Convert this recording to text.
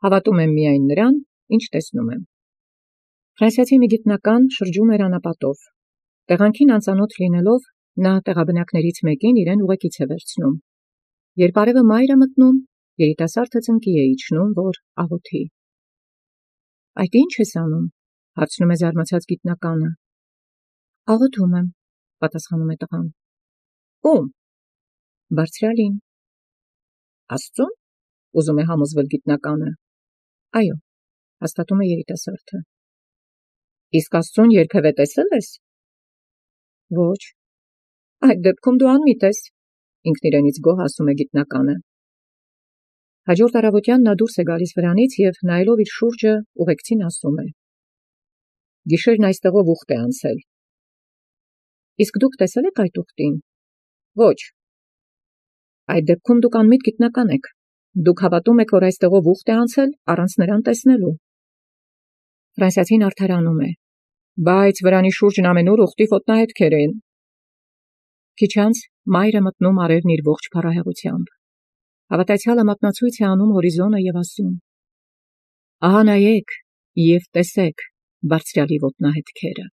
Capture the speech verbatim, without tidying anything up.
Հավատում եմ միայն նրան, ինչ տեսնում եմ։ Ֆրանսիացի մի գիտնական շրջում էր անապատով։ Տեղանքին անծանոթ լինելով, նա տեղաբնակներից մեկին իրեն ուղեկից է վերցնում։ Երբ արևը մայր է մտնում, երիտասարդը ծնկի է իջնում, որ աղոթի։ Այդ ի՞նչ ես անում, հարցնում է զարմացած գիտնականը։ Աղոթում եմ, պատասխանում է տղան։ Ո՞ւմ։ Բարձրալին։ Աստծուն, ուզում է համոզվել գիտնականը։ Այո, հաստատում է երիտասարդը։ Իսկ Աստծուն երբևէ տեսել ես։ Ոչ։ Այդ դեպքում դու անմիտ ես, ինքն իրենից գոհ ասում է գիտնականը։ Հաջորդ առավոտյան նա դուրս է գալիս վրանից և նայելով իր շուրջը ուղեկցին ասում է. Գիշերն այստեղով ուխտ է անցել։ Իսկ դուք տեսել եք այդ ուխտին։ Ոչ։ Այդ դեպքում դուք անմիտ գիտնական եք։ Դուք հավատում եք, որ այստեղով ուխտ է անցել առանց նրան տեսնելու։ Ֆրանսիացին արդարանում է. Բայց վրանի շուրջն ամենուր ուխտի ոտնահետքեր են։ Քիչ անց մայր է մտնում արևն իր ողջ փառահեղությամբ։ Հավատացյալը մատնացույց է անում հորիզոնը և ասում. Ահա նայեք և տեսեք բարձրյալի ոտնահետքերը։